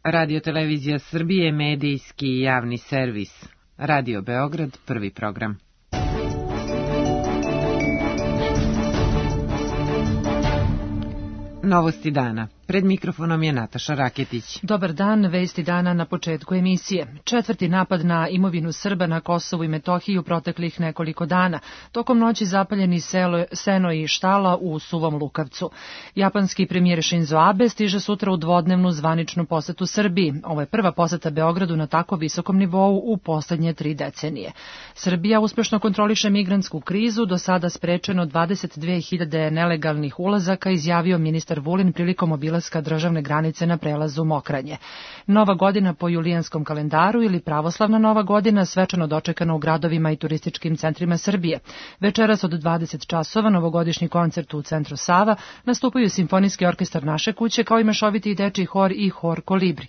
Radio-televizija Srbije, medijski i javni servis. Radio Beograd, prvi program. Novosti dana. Pred mikrofonom je Nataša Raketić. Dobar dan, vesti dana na početku emisije. Četvrti napad na imovinu Srba na Kosovu i Metohiji u proteklih nekoliko dana. Tokom noći zapaljeni seno i štala u Suvom Lukavcu. Japanski premijer Shinzo Abe stiže sutra u dvodnevnu zvaničnu posetu Srbiji. Ovo je prva poseta Beogradu na tako visokom nivou u poslednje 3 decenije. Srbija uspešno kontroliše migrantsku krizu, do sada sprečeno 22.000 nelegalnih ulazaka, izjavio ministar Vulin prilikom obilaska državne granice na prelazu Mokranje. Nova godina po julijanskom kalendaru ili pravoslavna Nova godina svečano dočekana u gradovima i turističkim centrima Srbije. Večeras od 20 časova novogodišnji koncert u centru Sava, nastupaju Simfonijski orkestar Naše kuće kao i mešoviti dečiji hor i hor Kolibri.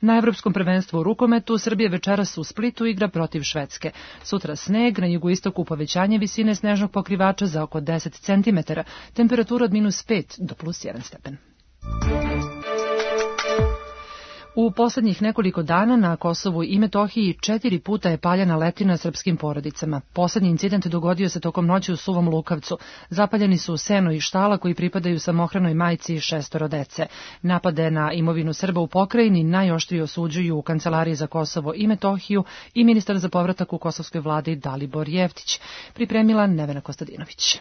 Na Evropskom prvenstvu u rukometu Srbija večeras u Splitu igra protiv Švedske. Sutra sneg, na jugoistoku povećanje visine snežnog pokrivača za oko 10 cm, temperatura od -5 do +1 stepen. U poslednjih nekoliko dana na Kosovu i Metohiji 4 puta je paljena letina srpskim porodicama. Poslednji incident dogodio se tokom noći u Suvom Lukavcu. Zapaljeni su seno i štala koji pripadaju samohranoj majci i 6 dece. Napade na imovinu Srba u pokrajini najoštrije osuđuju u Kancelariji za Kosovo i Metohiju i ministar za povratak u kosovskoj vladi Dalibor Jeftić. Pripremila Nevena Kostadinović.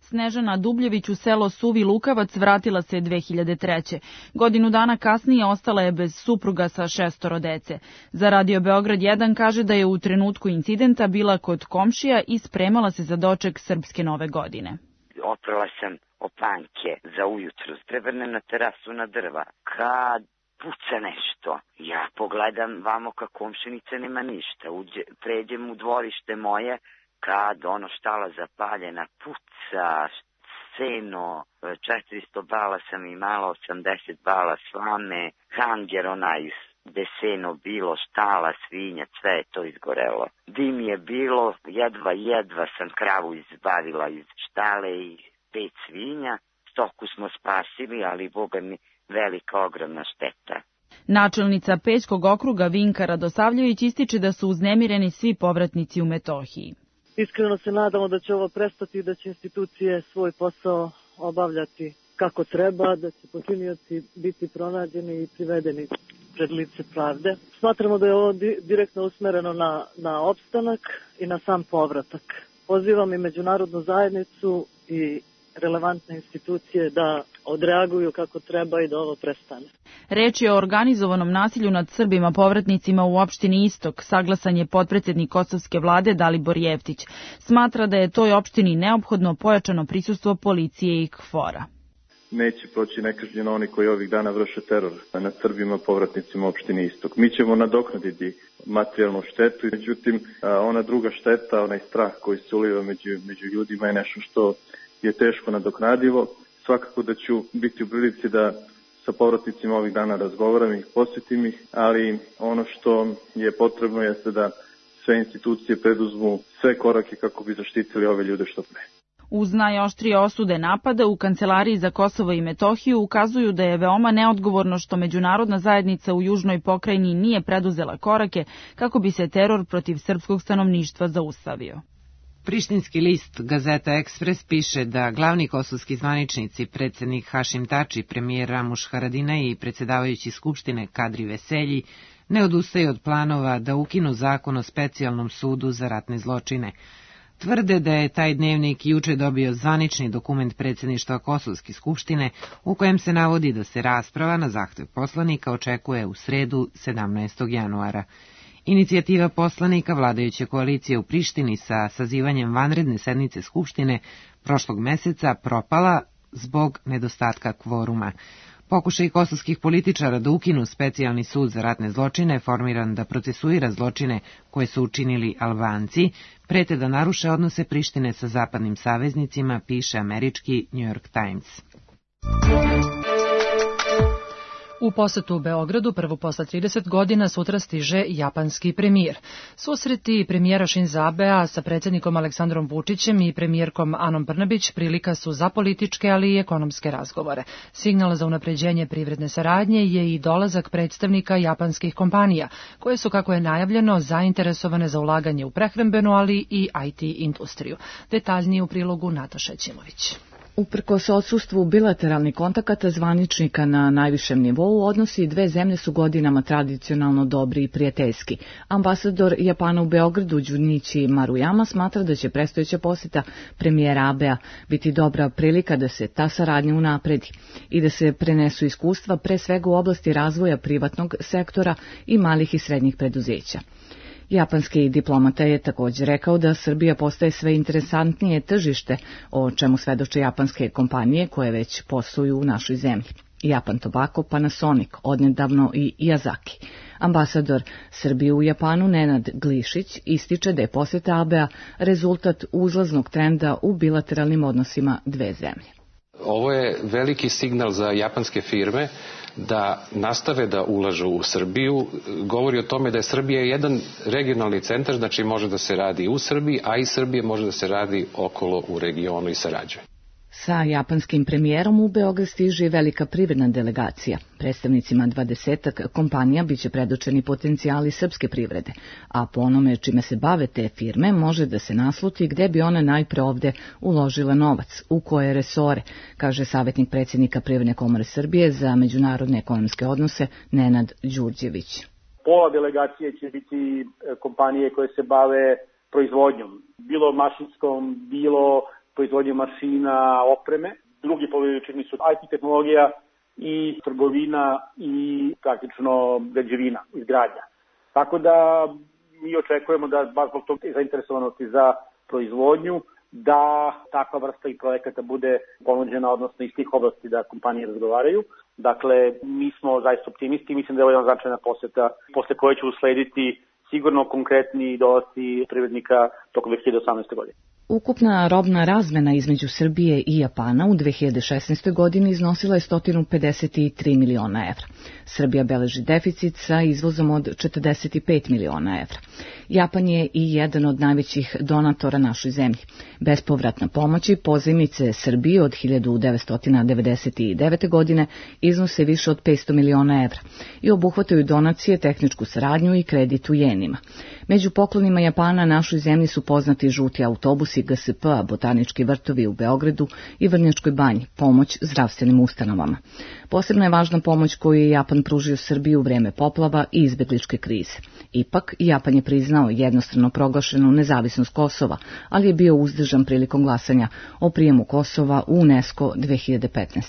Snežana Dubljević u selo Suvi Lukavac vratila se 2003. Godinu dana kasnije ostala je bez supruga sa 6 dece. Za Radio Beograd 1 kaže da je u trenutku incidenta bila kod komšija i spremala se za doček srpske nove godine. Oprala sam opanke za ujutru, prevrnem na terasu na drva. Kad puca nešto, ja pogledam vamo ka komšinice nema ništa. Pređem u dvorište moje, kad ono štala zapaljena, puca, seno, 400 bala sam imala, 80 bala slame, hanger onaj gde seno bilo, štala, svinja, sve je to izgorelo. Dim je bilo, jedva sam kravu izbavila iz štale i 5 svinja, stoku smo spasili, ali boga mi velika, ogromna šteta. Načelnica Pećkog okruga Vinka Radosavljević ističe da su uznemireni svi povratnici u Metohiji. Iskreno se nadamo da će ovo prestati i da će institucije svoj posao obavljati kako treba, da će počinioci biti pronađeni i privedeni pred lice pravde. Smatramo da je ovo direktno usmereno na opstanak i na sam povratak. Pozivam i međunarodnu zajednicu i relevantne institucije da odreaguju kako treba i da ovo prestane. Reč je o organizovanom nasilju nad Srbima povratnicima u opštini Istok, saglasan je potpredsednik kosovske vlade Dalibor Jeftić. Smatra da je toj opštini neophodno pojačano prisustvo policije i KFOR-a. Neće proći nekažnjeno oni koji ovih dana vrše teror nad Srbima povratnicima u opštini Istok. Mi ćemo nadoknaditi materijalnu štetu, međutim ona druga šteta, onaj strah koji se uliva među ljudima je nešto što je teško nadoknadivo. Svakako da ću biti u prilici da sa povratnicima ovih dana razgovaram ih, posjetim ih, ali ono što je potrebno jeste da sve institucije preduzmu sve korake kako bi zaštitili ove ljude što pre. Uz najoštrije osude napada u Kancelariji za Kosovo i Metohiju ukazuju da je veoma neodgovorno što međunarodna zajednica u južnoj pokrajini nije preduzela korake kako bi se teror protiv srpskog stanovništva zaustavio. Prištinski list Gazeta Ekspres piše da glavni kosovski zvaničnici, predsjednik Hašim Tači, premijer Ramuš Haradinaj i predsjedavajući Skupštine Kadri Veselji ne odustaju od planova da ukinu zakon o specijalnom sudu za ratne zločine. Tvrde da je taj dnevnik juče dobio zvanični dokument predsjedništva Kosovske skupštine u kojem se navodi da se rasprava na zahtev poslanika očekuje u sredu 17. januara. Inicijativa poslanika vladajuće koalicije u Prištini sa sazivanjem vanredne sednice Skupštine prošlog meseca propala zbog nedostatka kvoruma. Pokušaj kosovskih političara da ukinu specijalni sud za ratne zločine, formiran da procesuira zločine koje su učinili Albanci, prete da naruše odnose Prištine sa zapadnim saveznicima, piše američki New York Times. U posetu u Beogradu, prvu posle 30 godina, sutra stiže japanski premijer. Susreti premijera Šinza Abea sa predsjednikom Aleksandrom Vučićem i premijerkom Anom Brnabić prilika su za političke, ali i ekonomske razgovore. Signal za unapređenje privredne saradnje je i dolazak predstavnika japanskih kompanija, koje su, kako je najavljeno, zainteresovane za ulaganje u prehrambenu, ali i IT industriju. Detaljnije u prilogu Nataša Ćimović. Uprkos odsustvu bilateralnih kontakata zvaničnika na najvišem nivou, odnosi dve zemlje su godinama tradicionalno dobri i prijateljski. Ambasador Japana u Beogradu Junichi Maruyama smatra da će predstojeća posjeta premijera Abea biti dobra prilika da se ta saradnja unapredi i da se prenesu iskustva pre svega u oblasti razvoja privatnog sektora i malih i srednjih preduzeća. Japanski diplomata je također rekao da Srbija postaje sve interesantnije tržište, o čemu svedoče japanske kompanije koje već posluju u našoj zemlji. Japan Tobacco, Panasonic, odnedavno i Yazaki. Ambasador Srbije u Japanu Nenad Glišić ističe da je posjeta Abea rezultat uzlaznog trenda u bilateralnim odnosima dve zemlje. Ovo je veliki signal za japanske firme da nastave da ulažu u Srbiju. Govori o tome da je Srbija jedan regionalni centar, znači može da se radi u Srbiji, a i Srbije može da se radi okolo u regionu i sarađuje. Sa japanskim premijerom u Beograd stiže velika privredna delegacija. Predstavnicima 20 kompanija biće predočeni potencijali srpske privrede, a po onome čime se bave te firme može da se nasluti gde bi one najpre ovde uložile novac, u koje resore, kaže savjetnik predsjednika Privredne komore Srbije za međunarodne ekonomske odnose Nenad Đurđević. Pola delegacije će biti kompanije koje se bave proizvodnjom, bilo mašinskom, bilo proizvodnje mašina, opreme. Drugi polovini su IT tehnologija i trgovina i praktično građevina, izgradnja. Tako da mi očekujemo da baš zbog tog zainteresovanosti za proizvodnju, da takva vrsta i projekata bude ponuđena, odnosno iz tih oblasti da kompanije razgovaraju. Dakle, mi smo zaista optimisti i mislim da je ovo jedna značajna poseta posle koje će uslediti sigurno konkretni dolasci privrednika tokom 2018. godine. Ukupna robna razmena između Srbije i Japana u 2016. godini iznosila je 153 miliona evra. Srbija beleži deficit sa izvozom od 45 miliona evra. Japan je i jedan od najvećih donatora našoj zemlji. Bespovratna pomoć i pozajmice Srbije od 1999. godine iznose više od 500 miliona evra i obuhvataju donacije, tehničku saradnju i kredit u jenima. Među poklonima Japana našoj zemlji su poznati žuti autobusi GSP-a, botanički vrtovi u Beogradu i Vrnjačkoj banji, pomoć zdravstvenim ustanovama. Posebno je važna pomoć koju je Japan pružio Srbiji u vreme poplava i izbegličke krize. Ipak, Japan je priznao jednostrano proglašenu nezavisnost Kosova, ali je bio uzdržan prilikom glasanja o prijemu Kosova u UNESCO 2015.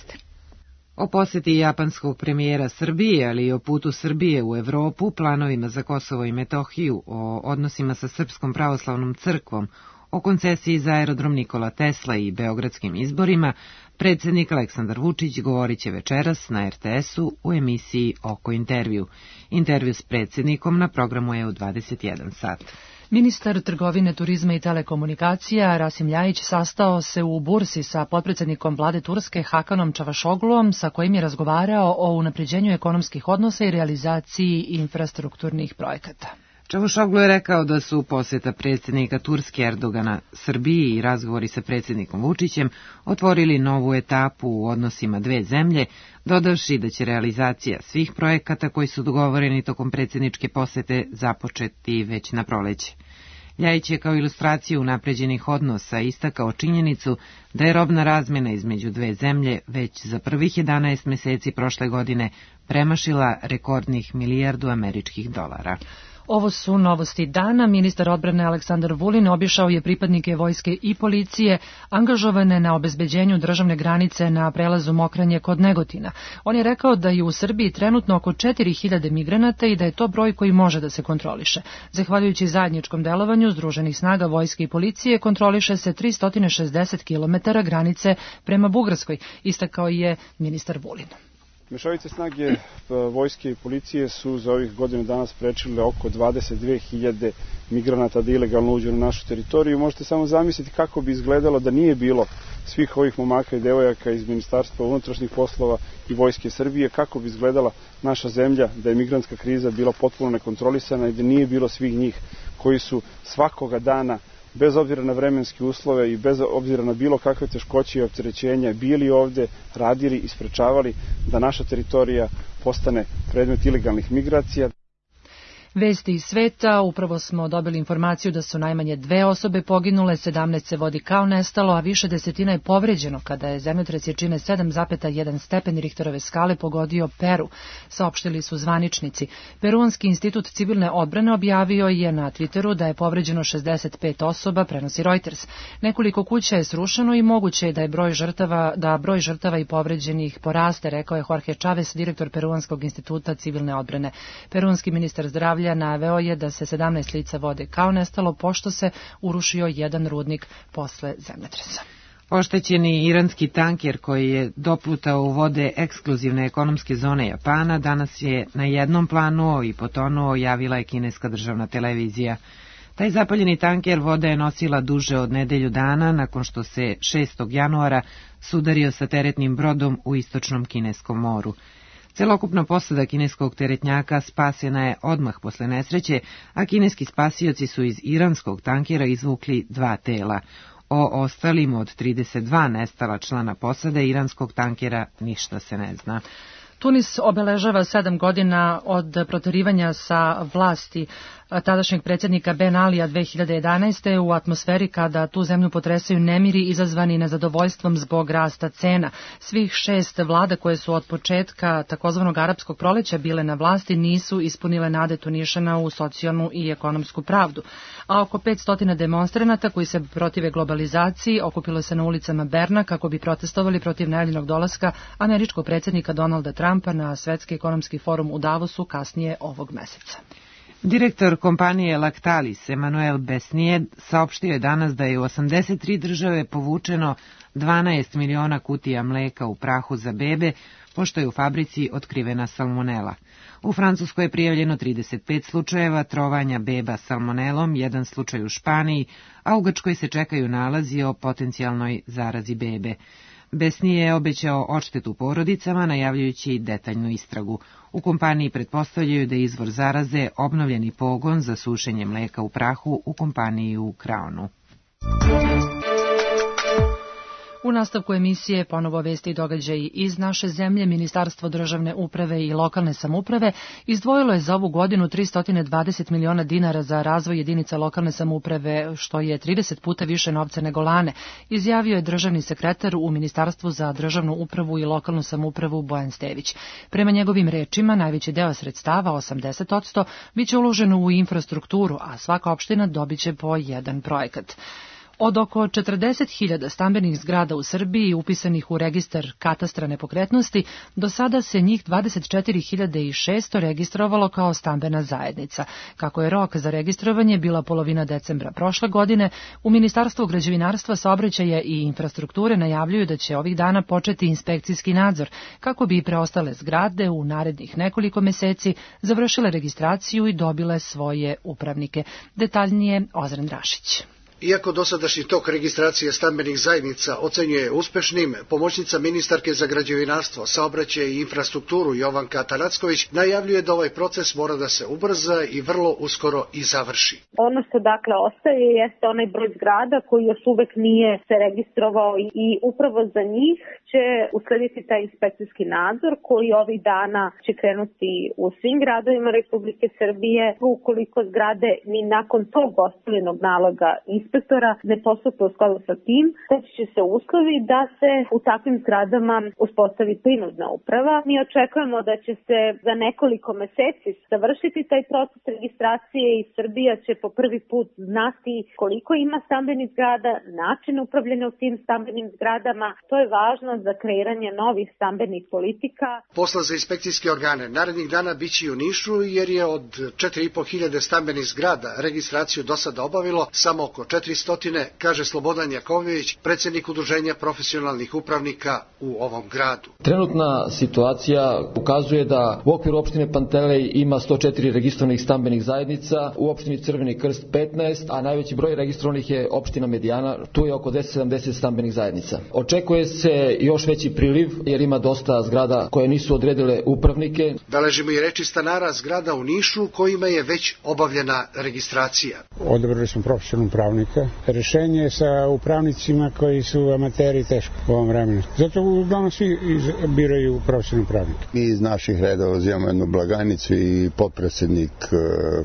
O posjeti japanskog premijera Srbije, ali i o putu Srbije u Evropu, planovima za Kosovo i Metohiju, o odnosima sa Srpskom pravoslavnom crkvom, o koncesiji za aerodrom Nikola Tesla i beogradskim izborima, predsjednik Aleksandar Vučić govorit će večeras na RTS-u u emisiji Oko intervju. Intervju s predsjednikom na programu je u 21 sat. Ministar trgovine, turizma i telekomunikacija Rasim Ljajić sastao se u Bursi sa potpredsjednikom vlade Turske Hakanom Čavašogluom, sa kojim je razgovarao o unapređenju ekonomskih odnosa i realizaciji infrastrukturnih projekata. Čavuşoglu je rekao da su posjeta predsjednika Turske Erdogana Srbiji i razgovori sa predsjednikom Vučićem otvorili novu etapu u odnosima dve zemlje, dodavši da će realizacija svih projekata koji su dogovoreni tokom predsjedničke posjete započeti već na proleće. Ljajić je kao ilustraciju unapređenih odnosa istakao činjenicu da je robna razmjena između dve zemlje već za prvih 11 meseci prošle godine premašila rekordnih milijardu američkih dolara. Ovo su novosti dana. Ministar odbrane Aleksandar Vulin obišao je pripadnike vojske i policije angažovane na obezbeđenju državne granice na prelazu Mokranje kod Negotina. On je rekao da je u Srbiji trenutno oko 4000 migranata i da je to broj koji može da se kontroliše. Zahvaljujući zajedničkom delovanju Združenih snaga vojske i policije kontroliše se 360 km granice prema Bugarskoj, istakao je ministar Vulin. Mešovite snage vojske i policije su za ovih godinu dana sprečile oko 22.000 migranata da ilegalno uđu na našu teritoriju. Možete samo zamisliti kako bi izgledalo da nije bilo svih ovih momaka i devojaka iz Ministarstva unutrašnjih poslova i Vojske Srbije, kako bi izgledala naša zemlja da je migrantska kriza bila potpuno nekontrolisana i da nije bilo svih njih koji su svakoga dana, bez obzira na vremenske uslove i bez obzira na bilo kakve teškoće i opterećenja, bili ovde, radili i sprečavali da naša teritorija postane predmet ilegalnih migracija. Vesti iz sveta, upravo smo dobili informaciju da su najmanje 2 osobe poginule, 17 se vodi kao nestalo, a više desetina je povređeno kada je zemljotres jačine 7,1 stepen Richterove skale pogodio Peru, saopštili su zvaničnici. Peruanski institut civilne odbrane objavio je na Twitteru da je povređeno 65 osoba, prenosi Reuters. Nekoliko kuća je srušeno i moguće je da broj žrtava i povređenih poraste, rekao je Jorge Chavez, direktor Peruanskog instituta civilne odbrane. Peruanski ministar zdravlja naveo je da se 17 lica vode kao nestalo pošto se urušio jedan rudnik posle zemljotresa. Oštećeni iranski tanker koji je doplutao u vode ekskluzivne ekonomske zone Japana danas je na jednom planu i potonuo, javila je kineska državna televizija. Taj zapaljeni tanker voda je nosila duže od nedelju dana nakon što se 6. januara sudario sa teretnim brodom u istočnom Kineskom moru. Celokupna posada kineskog teretnjaka spasena je odmah posle nesreće, a kineski spasioci su iz iranskog tankera izvukli 2 tela. O ostalim od 32 nestala člana posade iranskog tankera ništa se ne zna. Tunis obeležava 7 godina od proterivanja sa vlasti tadašnjeg predsjednika Ben Alija 2011. u atmosferi kada tu zemlju potresaju nemiri izazvani nezadovoljstvom zbog rasta cena. Svih 6 vlada koje su od početka takozvanog arapskog proleća bile na vlasti nisu ispunile nade Tunišana u socijalnu i ekonomsku pravdu. A oko 500 demonstranata koji se protive globalizaciji okupilo se na ulicama Berna kako bi protestovali protiv najavljenog dolaska američkog predsjednika Donalda Trumpa na Svetski ekonomski forum u Davosu kasnije ovog meseca. Direktor kompanije Lactalis, Emmanuel Besnier, saopštio je danas da je u 83 države povučeno 12 miliona kutija mleka u prahu za bebe, pošto je u fabrici otkrivena salmonela. U Francuskoj je prijavljeno 35 slučajeva trovanja beba salmonelom, 1 slučaj u Španiji, a u Grčkoj se čekaju nalazi o potencijalnoj zarazi bebe. Besnier je obećao odštetu porodicama, najavljujući detaljnu istragu. U kompaniji pretpostavljaju da je izvor zaraze obnovljeni pogon za sušenje mleka u prahu u kompaniji u Crownu. U nastavku emisije ponovo vesti i događaji iz naše zemlje. Ministarstvo državne uprave i lokalne samouprave izdvojilo je za ovu godinu 320 miliona dinara za razvoj jedinica lokalne samouprave, što je 30 puta više novca nego lane, izjavio je državni sekretar u Ministarstvu za državnu upravu i lokalnu samoupravu Bojan Stević. Prema njegovim rečima, najveći deo sredstava, 80%, biće uloženo u infrastrukturu, a svaka opština dobiće po jedan projekat. Od oko 40.000 stambenih zgrada u Srbiji upisanih u registar katastra nepokretnosti, do sada se njih 24.600 registrovalo kao stambena zajednica. Kako je rok za registrovanje bila polovina decembra prošle godine, u Ministarstvu građevinarstva, saobraćaja i infrastrukture najavljuju da će ovih dana početi inspekcijski nadzor, kako bi preostale zgrade u narednih nekoliko meseci završile registraciju i dobile svoje upravnike. Detaljnije Ozren Drašić. Iako dosadašnji tok registracije stambenih zajednica ocenjuje uspešnim, pomoćnica ministarke za građevinarstvo, saobraćaj i infrastrukturu Jovanka Atanacković najavljuje da ovaj proces mora da se ubrza i vrlo uskoro i završi. Ono što dakle ostaje jeste onaj broj zgrada koji još uvek nije se registrovao i upravo za njih će uslediti taj inspekcijski nadzor koji ovih dana će krenuti u svim gradovima Republike Srbije. Ukoliko zgrade ni nakon tog ostavljenog naloga inspektora ne postupe u skladu sa tim, steći će se uslovi da se u takvim zgradama uspostavi prinudna uprava. Mi očekujemo da će se za nekoliko meseci završiti taj proces registracije i Srbija će po prvi put znati koliko ima stambenih zgrada, način upravljanja u tim stambenim zgradama. To je važno za kreiranje novih stambenih politika. Posla za inspekcijske organe narednih dana biće i u Nišu, jer je od 4.500 stambenih zgrada registraciju do sada obavilo samo oko 400 1300, kaže Slobodan Jakovljević, predsjednik Udruženja profesionalnih upravnika u ovom gradu. Trenutna situacija ukazuje da u okviru opštine Pantelej ima 104 registrovanih stambenih zajednica, u opštini Crveni Krst 15, a najveći broj registrovanih je opština Medijana, tu je oko 1070 stambenih zajednica. Očekuje se još veći priliv jer ima dosta zgrada koje nisu odredile upravnike. Beležimo i reči stanara zgrada u Nišu kojima je već obavljena registracija. Odabrali smo profesionalnog upravnika. Rešenje je sa upravnicima koji su amateri teško u ovom vremenu. Zato uglavnom svi biraju profesionalnog upravnika. Mi iz naših redova uzimamo jednu blagajnicu i potpredsjednik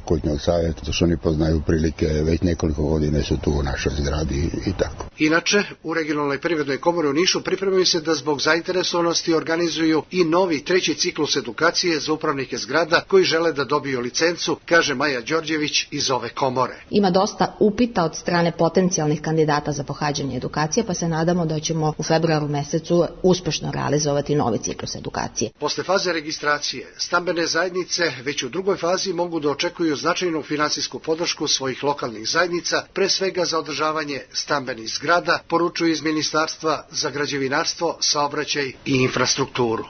kućnog savjeta, to što oni poznaju prilike, već nekoliko godina su tu u našoj zgradi i tako. Inače, u regionalnoj privrednoj komori u Nišu pripremaju se da zbog zainteresovanosti organizuju i novi treći ciklus edukacije za upravnike zgrada koji žele da dobiju licencu, kaže Maja Đorđević iz ove komore. Ima dosta upita od strane potencijalnih kandidata za pohađanje edukacije, pa se nadamo da ćemo u februaru mesecu uspešno realizovati novi ciklus edukacije. Posle faze registracije, stambene zajednice već u drugoj fazi mogu da očekuju značajnu finansijsku podršku svojih lokalnih zajednica, pre svega za održavanje stambenih zgrada, poručuju iz Ministarstva za građevinarstvo, saobraćaj i infrastrukturu.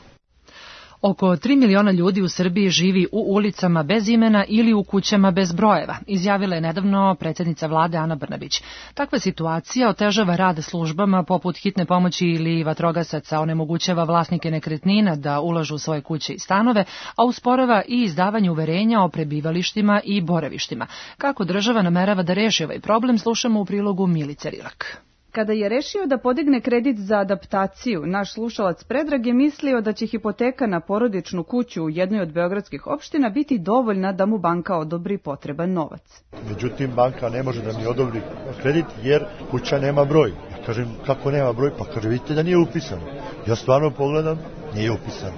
Oko 3 miliona ljudi u Srbiji živi u ulicama bez imena ili u kućama bez brojeva, izjavila je nedavno predsjednica vlade Ana Brnabić. Takva situacija otežava rad službama poput hitne pomoći ili vatrogasaca, onemogućava vlasnike nekretnina da ulažu u svoje kuće i stanove, a usporava i izdavanje uverenja o prebivalištima i boravištima. Kako država namerava da reši ovaj problem, slušamo u prilogu Milice Rilak. Kada je rešio da podigne kredit za adaptaciju, naš slušalac Predrag je mislio da će hipoteka na porodičnu kuću u jednoj od beogradskih opština biti dovoljna da mu banka odobri potreban novac. Međutim, banka ne može da mi odobri kredit jer kuća nema broj. Ja kažem, kako nema broj? Pa kaže, vidite da nije upisano. Ja stvarno pogledam, nije upisano.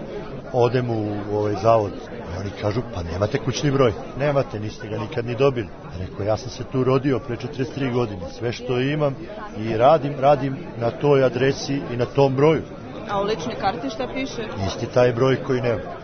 Odem u zavod. Oni kažu, pa nemate kućni broj. Nemate, niste ga nikad ni dobili. Rekao, ja sam se tu rodio pre 43 godine. Sve što imam i radim na toj adresi i na tom broju. A u ličnoj karti šta piše? Isti taj broj koji nema.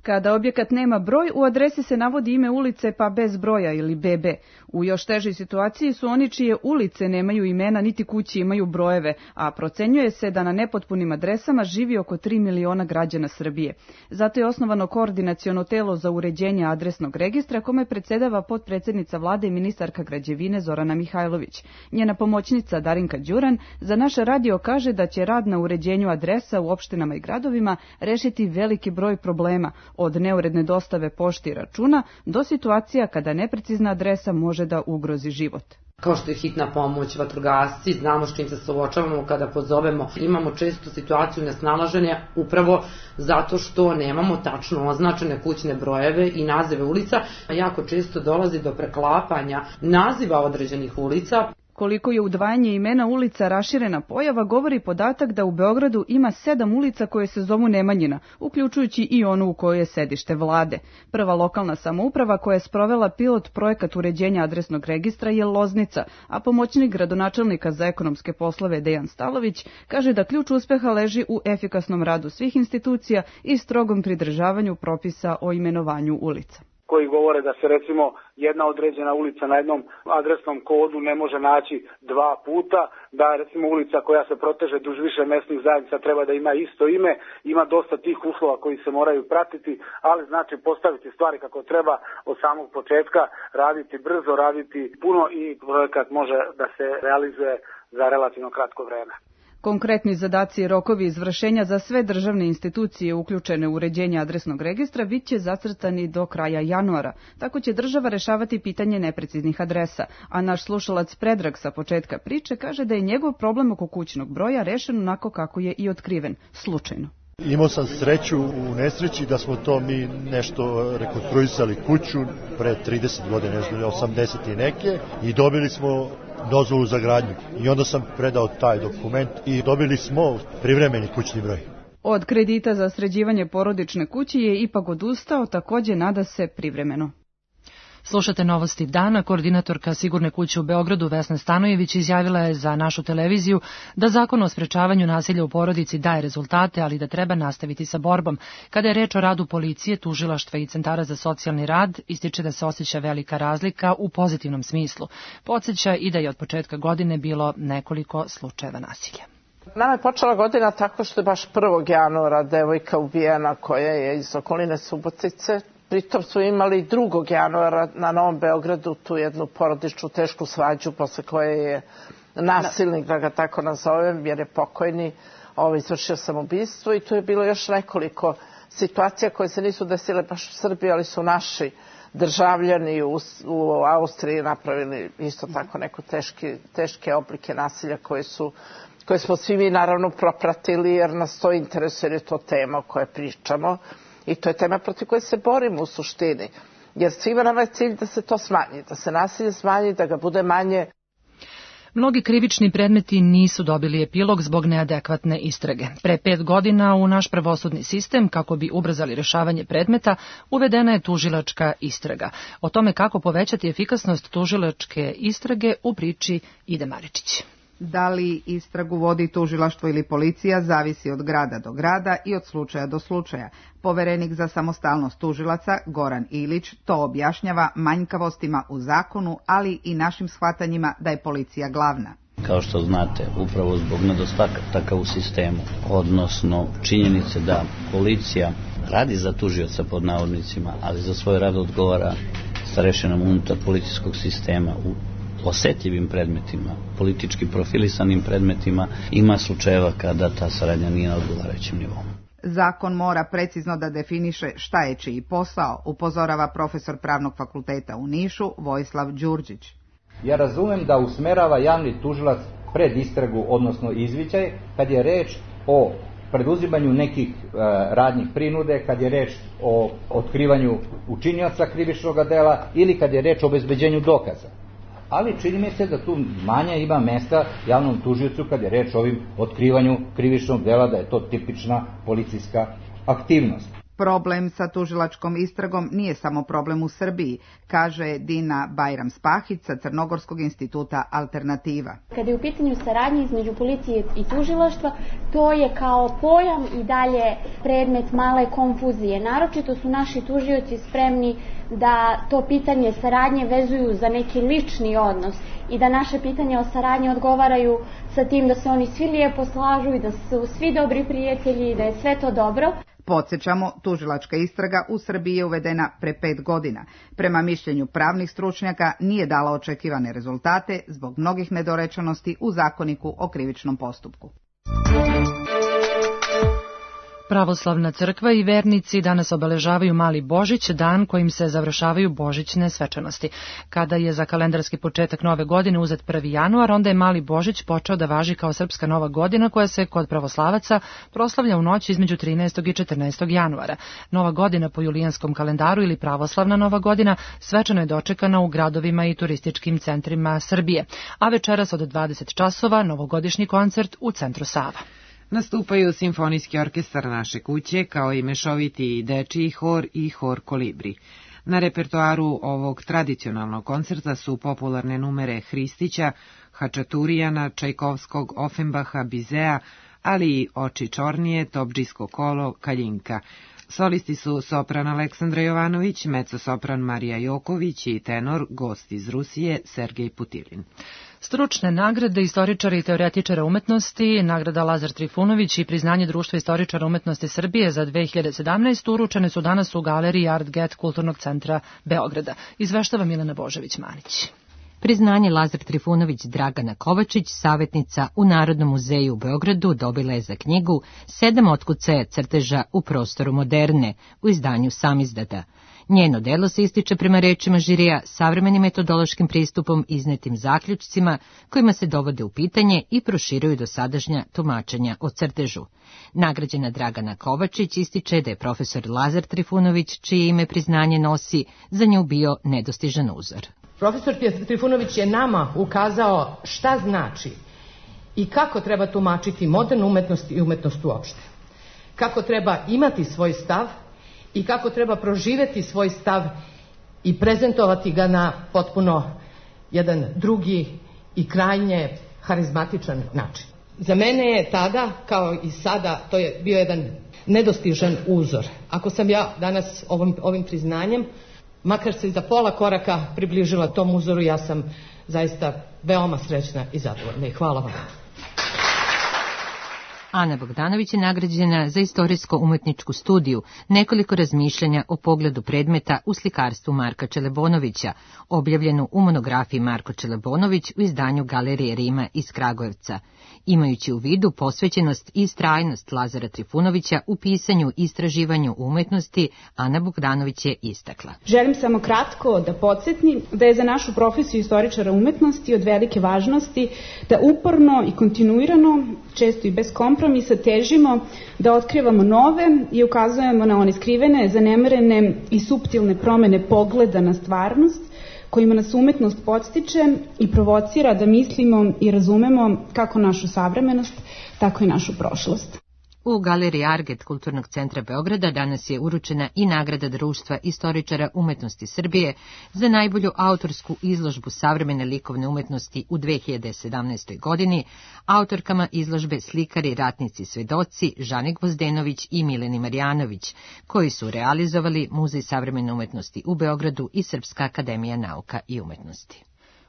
Kada objekat nema broj, u adresi se navodi ime ulice pa bez broja ili BB. U još težoj situaciji su oni čije ulice nemaju imena niti kući imaju brojeve, a procenjuje se da na nepotpunim adresama živi oko 3 miliona građana Srbije. Zato je osnovano koordinaciono telo za uređenje adresnog registra kome predsedava potpredsednica vlade i ministarka građevine Zorana Mihajlović. Njena pomoćnica Darinka Đuran za naš radio kaže da će rad na uređenju adresa u opštinama i gradovima rešiti veliki broj problema, od neuredne dostave pošte i računa do situacija kada neprecizna adresa može da ugrozi život. Kao što je hitna pomoć, vatrogasci, znamo s čim se suočavamo kada pozovemo. Imamo često situaciju nesnalaženja upravo zato što nemamo tačno označene kućne brojeve i nazive ulica. Jako često dolazi do preklapanja naziva određenih ulica. Koliko je udvajanje imena ulica raširena pojava, govori podatak da u Beogradu ima 7 ulica koje se zovu Nemanjina, uključujući i onu u kojoj je sedište vlade. Prva lokalna samouprava koja je sprovela pilot projekat uređenja adresnog registra je Loznica, a pomoćnik gradonačelnika za ekonomske poslove Dejan Stalović kaže da ključ uspeha leži u efikasnom radu svih institucija i strogom pridržavanju propisa o imenovanju ulica. Koji govore da se recimo jedna određena ulica na jednom adresnom kodu ne može naći 2 puta, da recimo ulica koja se proteže duž više mesnih zajednica treba da ima isto ime, ima dosta tih uslova koji se moraju pratiti, ali znači postaviti stvari kako treba od samog početka, raditi brzo, raditi puno i projekat može da se realizuje za relativno kratko vreme. Konkretni zadaci i rokovi izvršenja za sve državne institucije uključene u uređenje adresnog registra bit će zacrtani do kraja januara. Tako će država rešavati pitanje nepreciznih adresa, a naš slušalac Predrag sa početka priče kaže da je njegov problem oko kućnog broja rešen onako kako je i otkriven, slučajno. Imao sam sreću u nesreći da smo to mi nešto rekonstruisali kuću pre 30 godina, 80 i neke, i dobili smo dozvolu za gradnju. I onda sam predao taj dokument i dobili smo privremeni kućni broj. Od kredita za sređivanje porodične kuće je ipak odustao, takođe nada se privremeno. Slušate novosti dana. Koordinatorka Sigurne kuće u Beogradu Vesna Stanojević izjavila je za našu televiziju da Zakon o sprečavanju nasilja u porodici daje rezultate, ali da treba nastaviti sa borbom. Kada je reč o radu policije, tužilaštva i centara za socijalni rad, ističe da se osjeća velika razlika u pozitivnom smislu. Podsjeća i da je od početka godine bilo nekoliko slučajeva nasilja. Nama je počela godina tako što je baš 1. januara devojka ubijena koja je iz okoline Subotice. Pritom su imali 2. januara na Novom Beogradu tu jednu porodičnu tešku svađu posle koje je nasilnik, da ga tako nazovem, jer je pokojni izvršio samoubistvo i tu je bilo još nekoliko situacija koje se nisu desile baš u Srbiji, ali su naši državljani u Austriji napravili isto tako neko teške oblike nasilja koje smo svi mi naravno propratili jer nas to interesuje, jer je to tema o kojoj pričamo i to je tema protiv koje se borimo u suštini. Jer svima nama je cilj da se to smanji, da se nasilje smanji, da ga bude manje. Mnogi krivični predmeti nisu dobili epilog zbog neadekvatne istrage. Pre 5 godina u naš pravosudni sistem, kako bi ubrzali rešavanje predmeta, uvedena je tužilačka istraga. O tome kako povećati efikasnost tužilačke istrage u priči Ide Maričić. Da li istragu vodi tužilaštvo ili policija zavisi od grada do grada i od slučaja do slučaja. Poverenik za samostalnost tužilaca Goran Ilić to objašnjava manjkavostima u zakonu, ali i našim shvatanjima da je policija glavna. Kao što znate, upravo zbog nedostataka u sistemu, odnosno činjenice da policija radi za tužioca pod navodnicima, ali za svoj rad odgovara starešinom unutar policijskog sistema u osetljivim predmetima, politički profilisanim predmetima, ima slučajeva kada ta saradnja nije na odgovarajućem nivou. Zakon mora precizno da definiše šta je čiji posao, upozorava profesor Pravnog fakulteta u Nišu Vojislav Đurđić. Ja razumem da usmerava javni tužilac pred istragu, odnosno izviđaj, kad je reč o preduzimanju nekih radnjih prinude, kad je reč o otkrivanju učinioca krivičnog dela ili kad je reč o obezbeđenju dokaza. Ali čini mi se da tu manje ima mesta javnom tužiocu kad je reč o ovim otkrivanju krivičnog dela, da je to tipična policijska aktivnost. Problem sa tužilačkom istragom nije samo problem u Srbiji, kaže Dina Bajram-Spahić sa Crnogorskog instituta Alternativa. Kada je u pitanju saradnje između policije i tužilaštva, to je kao pojam i dalje predmet male konfuzije. Naročito su naši tužioci spremni da to pitanje saradnje vezuju za neki lični odnos i da naše pitanje o saradnji odgovaraju sa tim da se oni svi lijepo slažu i da su svi dobri prijatelji i da je sve to dobro. Podsjećamo, tužilačka istraga u Srbiji je uvedena pre 5 godina. Prema mišljenju pravnih stručnjaka nije dala očekivane rezultate zbog mnogih nedorečenosti u zakoniku o krivičnom postupku. Pravoslavna crkva i vernici danas obeležavaju Mali Božić, dan kojim se završavaju božićne svečanosti. Kada je za kalendarski početak nove godine uzet 1. januar, onda je Mali Božić počeo da važi kao srpska nova godina koja se kod pravoslavaca proslavlja u noć između 13. i 14. januara. Nova godina po julijanskom kalendaru ili pravoslavna nova godina svečano je dočekana u gradovima i turističkim centrima Srbije, a večeras od 20 časova novogodišnji koncert u centru Sava. Nastupaju Simfonijski orkestar naše kuće, kao i mešoviti dečiji hor i hor Kolibri. Na repertoaru ovog tradicionalnog koncerta su popularne numere Hristića, Hačaturijana, Čajkovskog, Ofenbaha, Bizea, ali i Oči čornije, Topdžijsko kolo, Kaljinka. Solisti su sopran Aleksandra Jovanović, mezzosopran Marija Joković i tenor, gost iz Rusije, Sergej Putilin. Stručne nagrade istoričara i teoretičara umetnosti, nagrada Lazar Trifunović i priznanje Društva istoričara umetnosti Srbije za 2017 uručene su danas u galeriji Art Get Kulturnog centra Beograda. Izveštava Milena Božević-Manić. Priznanje Lazar Trifunović Dragana Kovačić, savjetnica u Narodnom muzeju u Beogradu, dobila je za knjigu 7 otkucaja crteža u prostoru moderne u izdanju Samizdata. Njeno delo se ističe prema rečima žirija savremenim metodološkim pristupom, iznetim zaključcima kojima se dovode u pitanje i proširuju dosadašnja tumačenja o crtežu. Nagrađena Dragana Kovačić ističe da je profesor Lazar Trifunović, čije ime priznanje nosi, za nju bio nedostižan uzor. Profesor Trifunović je nama ukazao šta znači i kako treba tumačiti modernu umetnost i umetnost uopšte. Kako treba imati svoj stav i kako treba proživeti svoj stav i prezentovati ga na potpuno jedan drugi i krajnje harizmatičan način. Za mene je tada, kao i sada, to je bio jedan nedostižan uzor. Ako sam ja danas ovim priznanjem, makar se i za pola koraka približila tom uzoru, ja sam zaista veoma srećna i zadovoljna. I hvala vam. Ana Bogdanović je nagrađena za istorijsko-umetničku studiju, nekoliko razmišljanja o pogledu predmeta u slikarstvu Marka Čelebonovića, objavljenu u monografiji Marko Čelebonović u izdanju Galerije Rima iz Kragujevca. Imajući u vidu posvećenost i istrajnost Lazara Trifunovića u pisanju i istraživanju umetnosti, Ana Bogdanović je istakla. Želim samo kratko da podsjetim da je za našu profesiju istoričara umetnosti od velike važnosti da uporno i kontinuirano, često i bez kompromisa, težimo da otkrivamo nove i ukazujemo na one skrivene, zanemarene i suptilne promene pogleda na stvarnost, kojima nas umetnost podstiče i provocira da mislimo i razumemo kako našu savremenost, tako i našu prošlost. U Galeriji Arget Kulturnog centra Beograda danas je uručena i nagrada Društva istoričara umetnosti Srbije za najbolju autorsku izložbu savremene likovne umetnosti u 2017. godini, autorkama izložbe Slikari, ratnici, svedoci Žani Gvozdenović i Mileni Marjanović, koji su realizovali Muzej savremene umetnosti u Beogradu i Srpska akademija nauka i umetnosti.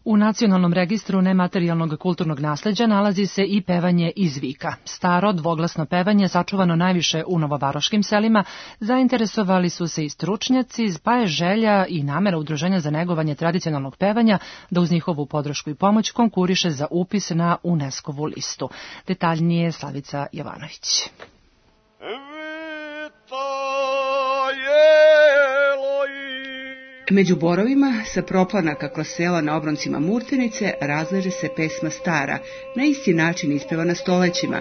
U Nacionalnom registru nematerijalnog kulturnog nasleđa nalazi se i pevanje iz vika. Staro, dvoglasno pevanje, sačuvano najviše u novovaroškim selima, zainteresovali su se i stručnjaci, pa je želja i namera Udruženja za negovanje tradicionalnog pevanja da uz njihovu podršku i pomoć konkuriše za upis na UNESCO-vu listu. Detaljnije Slavica Jovanović. Među borovima sa proplanaka kroz sela na obroncima Murtenice razleže se pesma stara, na isti način ispevana stolećima.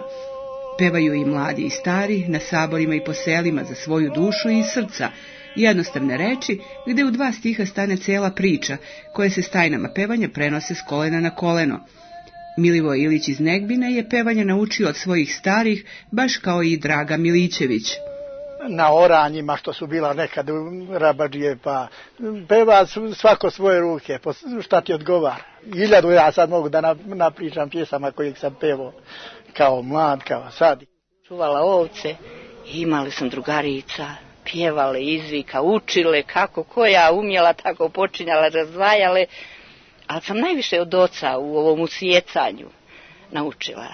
Pevaju i mladi i stari, na saborima i po selima za svoju dušu i srca, jednostavne reči gde u 2 stiha stane cela priča, koje se s tajnama pevanja prenose s kolena na koleno. Milivoj Ilić iz Negbina je pevanje naučio od svojih starih, baš kao i Draga Milićević. Na oranjima što su bila nekad rabadžije, pa peva svako svoje ruke, šta ti odgovara. 1000 ja sad mogu da napričam pjesama kojih sam pevao kao mlad, kao sad. Čuvala ovce, imali sam drugarica, pjevale izvika, učile kako koja umjela, tako počinjala, razdvajale, ali sam najviše od oca u ovom usjecanju naučila.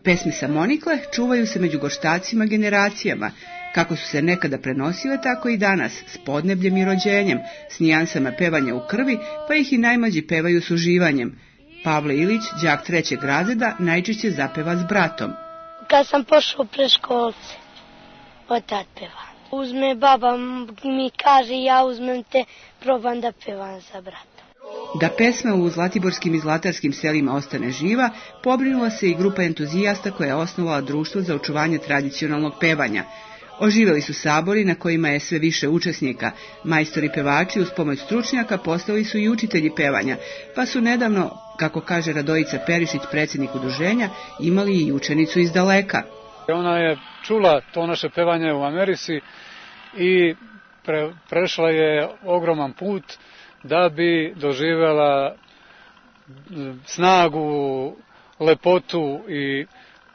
Pesme samonikle čuvaju se među goštacima generacijama, kako su se nekada prenosile, tako i danas, s podnebljem i rođenjem, s nijansama pevanja u krvi, pa ih i najmlađi pevaju s uživanjem. Pavle Ilić, đak 3. razreda, najčešće zapeva s bratom. Kad sam pošao pre školce, otad pevam. Uzme baba mi kaže, ja uzmem te, probam da pevam za brata. Da pesma u zlatiborskim i zlatarskim selima ostane živa, pobrinula se i grupa entuzijasta koja je osnovala Društvo za očuvanje tradicionalnog pevanja. Oživeli su sabori na kojima je sve više učesnika. Majstori pevači uz pomoć stručnjaka postali su i učitelji pevanja, pa su nedavno, kako kaže Radojica Perišić, predsjednik udruženja, imali i učenicu iz daleka. Ona je čula to naše pevanje u Americi i prešla je ogroman put da bi doživjela snagu, lepotu i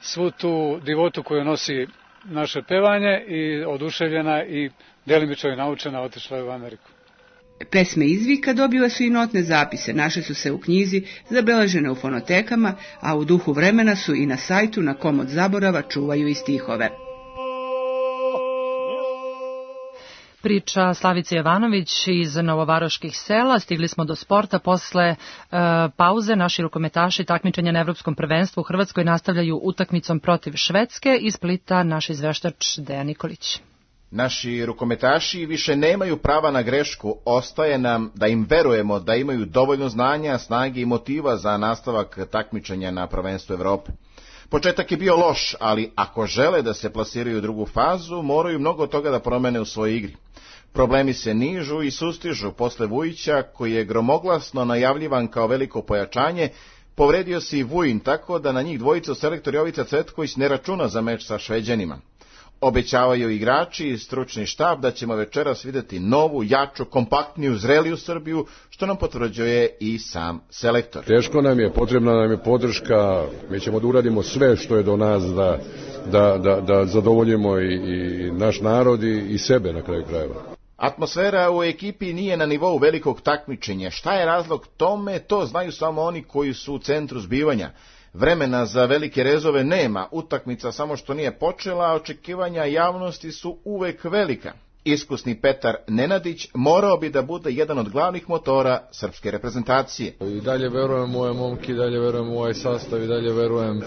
svu tu divotu koju nosi naše pevanje, i oduševljena i delimično je naučena, otišla je u Ameriku. Pesme izvika dobile su i notne zapise, naše su se u knjizi, zabeležene u fonotekama, a u duhu vremena su i na sajtu na kom od zaborava čuvaju i stihove. Priča Slavice Jovanović iz novovaroških sela. Stigli smo do sporta. Posle pauze naši rukometaši takmičenja na Evropskom prvenstvu u Hrvatskoj nastavljaju utakmicom protiv Švedske. Iz Splita naš izveštač Dejan Nikolić. Naši rukometaši više nemaju prava na grešku, ostaje nam da im verujemo da imaju dovoljno znanja, snage i motiva za nastavak takmičenja na prvenstvu Evrope. Početak je bio loš, ali ako žele da se plasiraju u drugu fazu, moraju mnogo toga da promene u svojoj igri. Problemi se nižu i sustižu posle Vujića, koji je gromoglasno najavljivan kao veliko pojačanje. Povredio se i Vujin, tako da na njih dvojica selektor Jovica Cvetković ne računa za meč sa Šveđanima. Obećavaju igrači i stručni štab da ćemo večeras vidjeti novu, jaču, kompaktniju, zreliju Srbiju, što nam potvrđuje i sam selektor. Teško nam je, potrebna nam je podrška, mi ćemo da uradimo sve što je do nas da zadovoljimo i naš narod i sebe na kraju krajeva. Atmosfera u ekipi nije na nivou velikog takmičenja. Šta je razlog tome, to znaju samo oni koji su u centru zbivanja. Vremena za velike rezove nema, utakmica samo što nije počela, a očekivanja javnosti su uvek velika. Iskusni Petar Nenadić morao bi da bude jedan od glavnih motora srpske reprezentacije. I dalje verujem u ove momke, i dalje verujem u ovaj sastav, i dalje verujem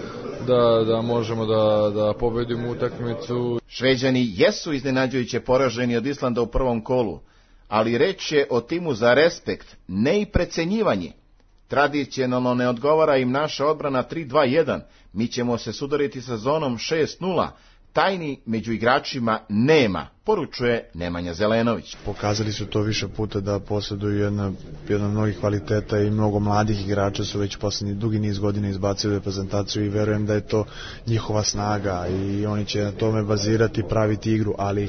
da možemo da pobedimo utakmicu. Šveđani jesu iznenađujuće poraženi od Islanda u prvom kolu, ali reč je o timu za respekt, ne i precenjivanje. Tradicionalno ne odgovara im naša odbrana 3-2-1, mi ćemo se sudariti sa zonom 6-0, tajni među igračima nema, poručuje Nemanja Zelenović. Pokazali su to više puta da posjeduju jedan mnogih kvaliteta i mnogo mladih igrača su već posljednji dugi niz godina izbacili reprezentaciju i verujem da je to njihova snaga i oni će na tome bazirati i praviti igru, ali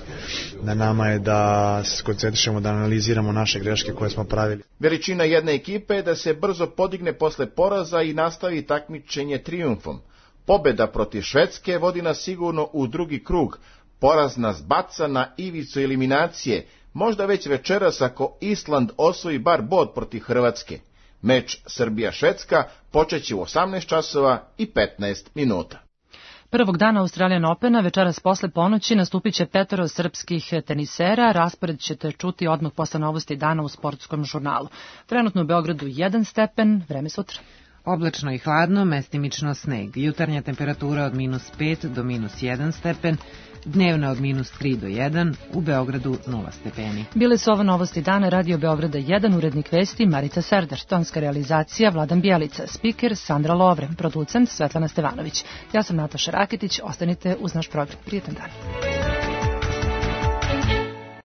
na nama je da se koncentrišemo, da analiziramo naše greške koje smo pravili. Veličina jedne ekipe je da se brzo podigne posle poraza i nastavi takmičenje trijumfom. Pobeda protiv Švedske vodi nas sigurno u drugi krug, poraz nas baca na ivicu eliminacije, možda već večeras ako Island osvoji bar bod protiv Hrvatske. Meč Srbija-Švedska počeće u 18 časova i 15 minuta. Prvog dana Australian Opena večeras posle ponoći nastupit će 5 srpskih tenisera. Raspored ćete čuti odmah posle novosti dana u sportskom žurnalu. Trenutno u Beogradu 1 stepen, vreme sutra. Oblačno i hladno, mestimično sneg. Jutarnja temperatura od -5 do -1 stepen, dnevna od -3 do 1, u Beogradu 0 stepeni. Bile su ovo novosti dana Radio Beograda 1, urednik vesti Marica Serdar, tonska realizacija Vladan Bijelica, spiker Sandra Lovre, producent Svetlana Stevanović. Ja sam Nataša Rakitić, ostanite uz naš program. Prijetan dan.